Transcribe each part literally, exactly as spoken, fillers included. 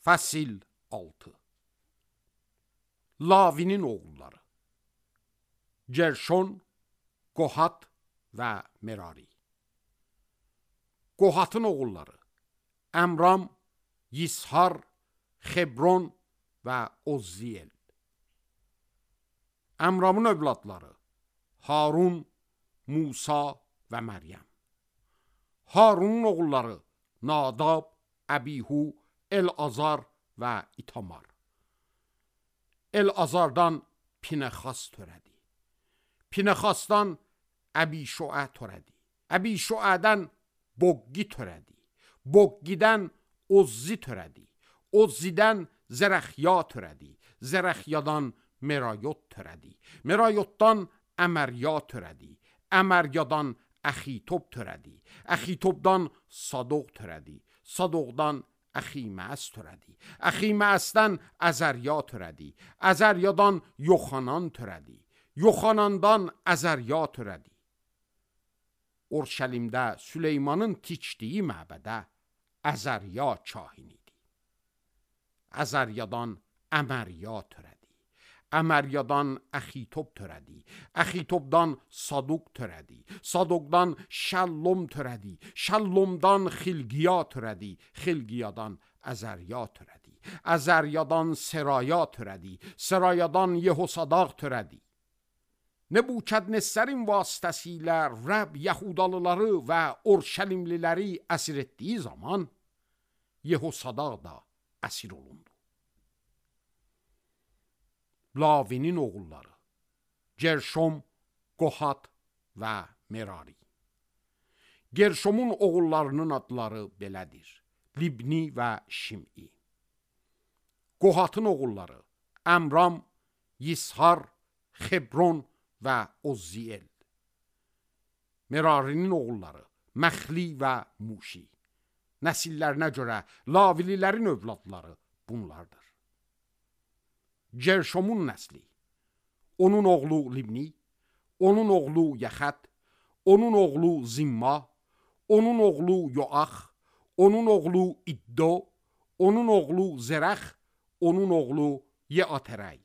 Fəsil altı. Lavinin oğulları Gerşon, Qohat və Merari. Qohatın oğulları Əmram, Yishar, Xebron və Ozziyel. Əmramın övladları Harun, Musa və Məryəm. Harunun oğulları Nadab, Əbihu, El-Azar və İtamar. El-Azardan Pinəxas törədi. Pinəxasdan Əbişoə törədi. Əbişoədən Boqqi törədi. Boqqidən Ozzi törədi. Ozzidən Zərəxya törədi. Zərəxyadan Merayot törədi. Merayotdan Əmərya törədi. Əməryadan Əxitob törədi. Əxitobdan Sadoq törədi. Sadoqdan Əximəəs törədi. Əximəəsdən Əzərya törədi. Əzəryadan Yoxanan törədi. Yoxanandan Əzərya törədi. Orşəlimdə Süleymanın tikdiyi məbədə Əzərya kahin idi. Əzəryadan Əmərya törədi. Əməryadan Əxitob törədi. Əxitobdan Saduq törədi. Saduqdan Şəllom törədi. Şəllomdan Xilqiya törədi. Xilqiyadan Əzərya törədi. Əzəryadan Seraya törədi. Serayadan Yehosadaq törədi. Nebukadnezərin vasitəsilə Rəbb Yahudalıları və Orşəlimliləri əsir etdiyi zaman Yehosadaq da əsir olundu. Lavinin oğulları Gerşom, Qohat və Merari. Gerşomun oğullarının adları belədir: Libni və Şim'i. Qohatın oğulları Əmram, Yishar, Xebron və Ozziyel. Merarinin oğulları Məxli və Muşi. Nəsillərinə görə Lavililərin övladları bunlardır. Gerşomun nəsli: onun oğlu Libni, onun oğlu Yaxət, onun oğlu Zimma, onun oğlu Yoax, onun oğlu İddo, onun oğlu Zərəx, onun oğlu Yeatərəy.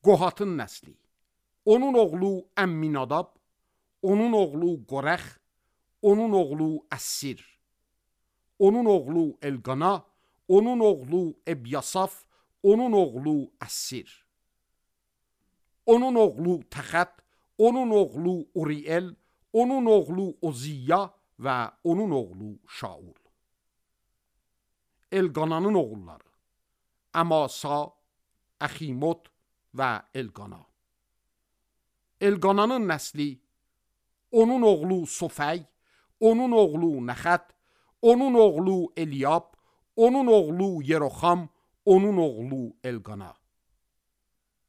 Qohatın nəsli: onun oğlu Əmminadab, onun oğlu Qorəx, onun oğlu Əssir, onun oğlu Elqana, onun oğlu Ebyasaf, onun oğlu Əssir, onun oğlu Təxət, onun oğlu Uriel, onun oğlu Oziyya və onun oğlu Şaul. Elqananın oğulları Əmasa, Əximot və Elqana. Elqananın nəsli: onun oğlu Sofəy, onun oğlu Nəxət, onun oğlu Eliyab, onun oğlu Yeroxam, onun oğlu Elqana.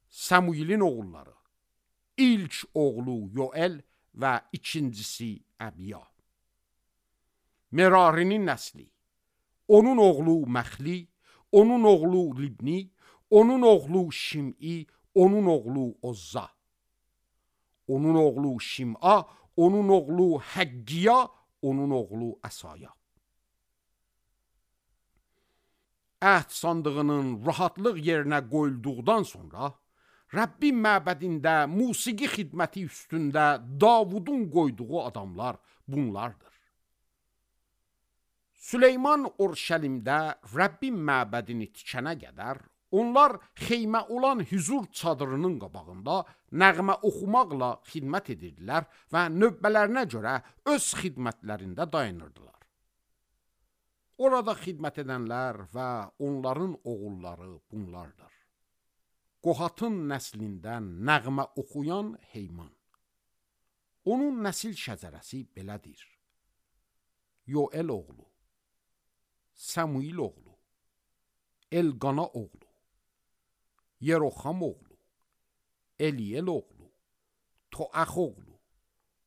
Samuilin oğulları İlk oğlu Yoel və ikincisi Əbiya. Merarinin nəsli: onun oğlu Məxli, onun oğlu Libni, onun oğlu Şim'i, onun oğlu Ozza, onun oğlu Şim'a, onun oğlu Həqqiya, onun oğlu Əsaya. Əhd sandığının rahatlıq yerinə qoyulduqdan sonra Rəbbin məbədində musiqi xidməti üstündə Davudun qoyduğu adamlar bunlardır. Süleyman Orşəlimdə Rəbbin məbədini tikənə qədər onlar xeymə olan hüzur çadırının qabağında nəğmə oxumaqla xidmət edirdilər və növbələrinə görə öz xidmətlərində dayanırdılar. Orada xidmət edənlər və onların oğulları bunlardır. Qohatın nəslindən nəğmə oxuyan Heyman. Onun nəsil şəcərəsi belədir: Yoel oğlu, Samuil oğlu, Elqana oğlu, Yeroxam oğlu, Eliyel oğlu, Toax oğlu,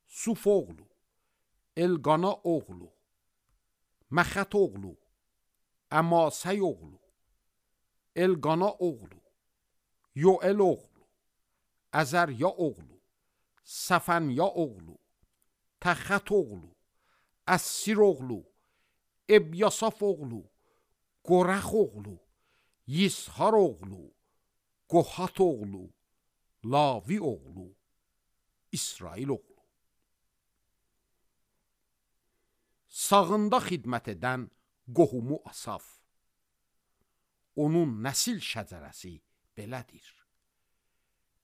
Suf oğlu, Elqana oğlu, Məxət oğlu, Əmasəy oğlu, Elqana oğlu, Yoel oğlu, Əzərya oğlu, Səfənya oğlu, Təxət oğlu, Əssir oğlu, Ebyasaf oğlu, Qorax oğlu, Yishar oğlu, Qohat oğlu, Lavi oğlu, İsrail oğlu. Sağında xidmət edən qohumu Asaf. Onun nəsil şəcərəsi belədir.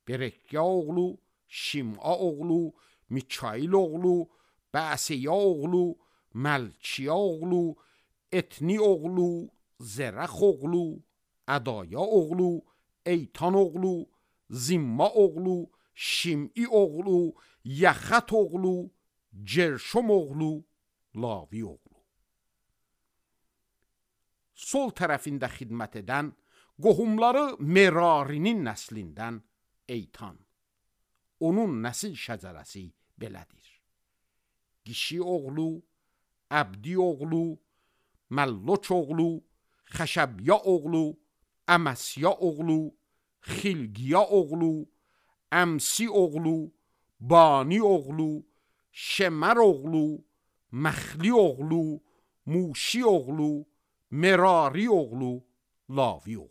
Berekya oğlu, Şim'a oğlu, Mikail oğlu, Bəsiya oğlu, Məlkiya oğlu, Etni oğlu, Zerəx oğlu, Ədaya oğlu, Eytan oğlu, Zimma oğlu, Şim'i oğlu, Yaxat oğlu, Gerşom oğlu, Lavi oğlu. Sol tərəfində xidmət edən qohumları Merarinin nəslindən Eytan. Onun nəsil şəcərəsi belədir. Qişi oğlu, Əbdi oğlu, Məlloç oğlu, Xəşəbya oğlu, Əməsya oğlu, Xilqiya oğlu, Əmsi oğlu, Bani oğlu, Şemər oğlu, Məxli oğlu, Muşi oğlu, Merari oğlu, Lavi oğlu.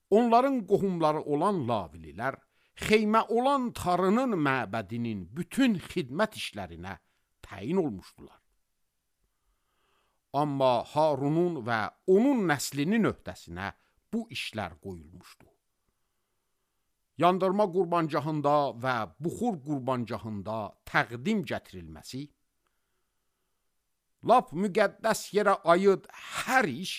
Onların qohumları olan Lavililər, xeymə olan Tarının məbədinin bütün xidmət işlərinə təyin olmuşdular. Amma Harunun və onun nəslinin öhdəsinə bu işlər qoyulmuşdu. Yandırma qurbancahında və buxur qurbancahında təqdim gətirilməsi, lap müqəddəs yerə aid hər iş,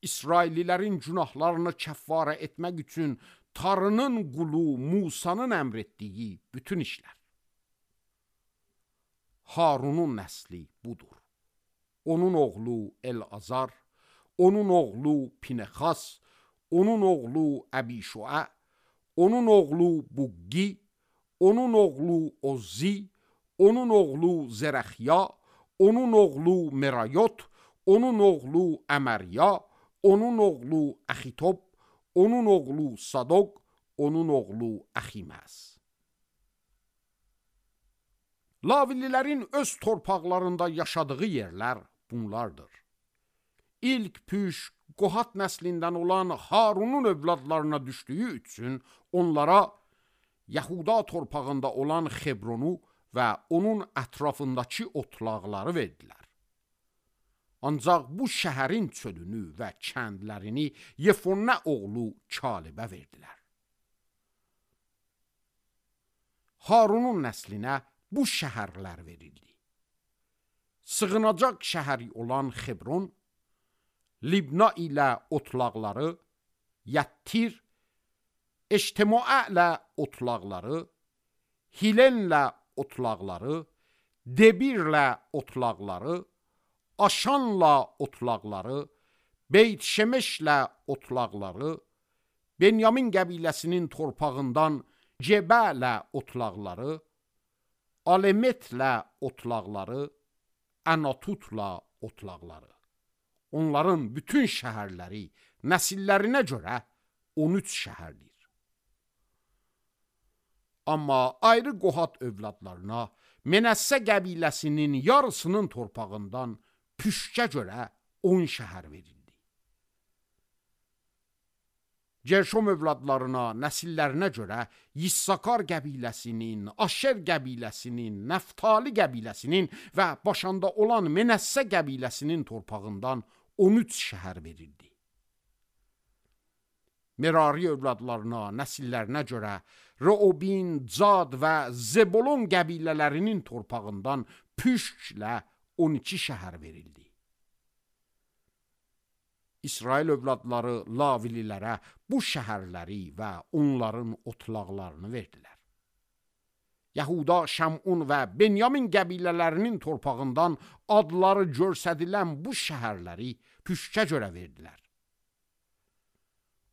İsraillilərin günahlarını kəffarə etmək üçün Tarının qulu Musanın əmr etdiyi bütün işlər. Harunun nəsli budur. Onun oğlu El-Azar, onun oğlu Pinexas, onun oğlu Əbişua, onun oğlu Buqgi, onun oğlu Ozzi, onun oğlu Zerəxya, onun oğlu Merayot, onun oğlu Əmərya, onun oğlu Əxitob, onun oğlu Sadok, onun oğlu Əximəz. Lavililərin öz torpaqlarında yaşadığı yerlər bunlardır. İlk püş Qohat nəslindən olan Harunun övladlarına düşdüyü üçün onlara Yahuda torpağında olan Xebronu və onun ətrafındakı otlaqları verdilər. Ancaq bu şəhərin çölünü və kəndlərini Yefonə oğlu Kalibə verdilər. Harunun nəslinə bu şəhərlər verildi. Sığınacaq şəhəri olan Xebron, Libna ilə otlaqları, Yəttir, Eştemoə ilə otlaqları, Hilenlə otlaqları, Debirlə otlaqları, Aşanla otlaqları, Beyt Şemeşlə otlaqları, Benyamin qəbiləsinin torpağından Cebələ otlaqları, Alemetlə otlaqları, Ənatutla otlaqları. Onların bütün şəhərləri nəsillərinə görə on üç şəhərdir. Amma ayrı Qohat övladlarına Menəssə qəbiləsinin yarısının torpağından püşkə görə on şəhər verildi. Gerşom övladlarına, nəsillərinə görə Yissakar qəbiləsinin, Aşer qəbiləsinin, Nəftali qəbiləsinin və başında olan Menəssə qəbiləsinin torpağından on üç şəhər verildi. Merari övladlarına, nəsillərinə görə Reobin, Cad və Zebolon qəbilələrinin torpağından püşklə on iki şəhər verildi. İsrail övladları Lavililərə bu şəhərləri və onların otlaqlarını verdilər. Yahuda, Şəmun və Benyamin qəbilələrinin torpağından adları görsədilən bu şəhərləri püşkə görə verdilər.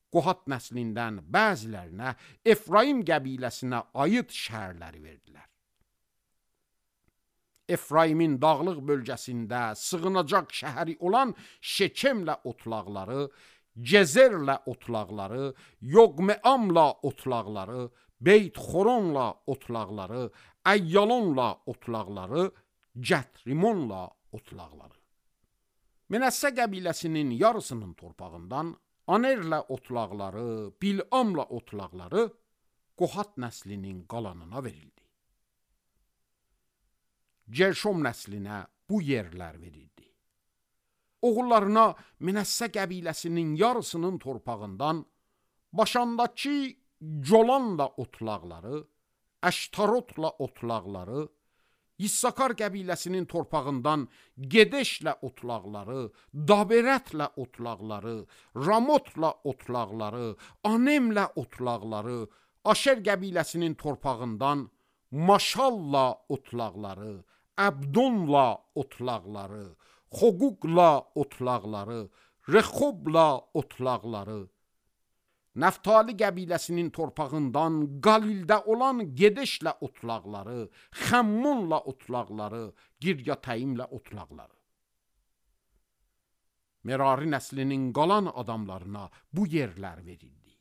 Qohat nəslindən bəzilərinə Efraim qəbiləsinə aid şəhərləri verdilər. Efraimin dağlıq bölgəsində sığınacaq şəhəri olan Şekemlə otlaqları, Cezerlə otlaqları, Yoqmeamla otlaqları, Beyt Xoronla otlaqları, Əyyalonla otlaqları, Gətrimonla otlaqları. Mənəssə qəbiləsinin yarısının torpağından Anerlə otlaqları, Bilamla otlaqları Qohat nəslinin qalanına verildi. Gerşom nəslinə bu yerlər verildi. Oğullarına Mənəssə qəbiləsinin yarısının torpağından Başandakı Colanla otlaqları, Əştarotla otlaqları, İssakar qəbiləsinin torpağından Gedeşlə otlaqları, Daberətlə otlaqları, Ramotla otlaqları, Anemlə otlaqları, Aşer qəbiləsinin torpağından Maşalla otlaqları, Əbdonla otlaqları, Xoquqla otlaqları, Rexobla otlaqları, Nəftali qəbiləsinin torpağından Qalildə olan Gedeşlə otlaqları, Xəmmonla otlaqları, Giryatəyimlə otlaqları. Merari nəslinin qalan adamlarına bu yerlər verildi.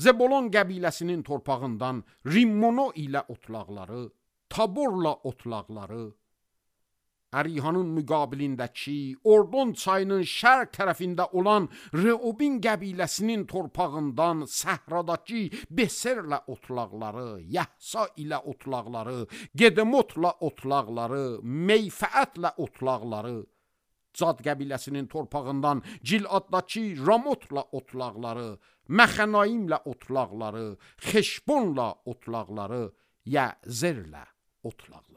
Zebolon qəbiləsinin torpağından Rimmono ilə otlaqları, Taborla otlaqları, Ərihanın müqabilindəki Ordon çayının şərq tərəfində olan Reobin qəbiləsinin torpağından səhradakı Beserlə otlaqları, Yəhsa ilə otlaqları, Gedemotla otlaqları, Meyfəətlə otlaqları, Cad qəbiləsinin torpağından Ciladdakı Ramotla otlaqları, Məxənaimlə otlaqları, Xeşbonla otlaqları, Yəzerlə otlaqları.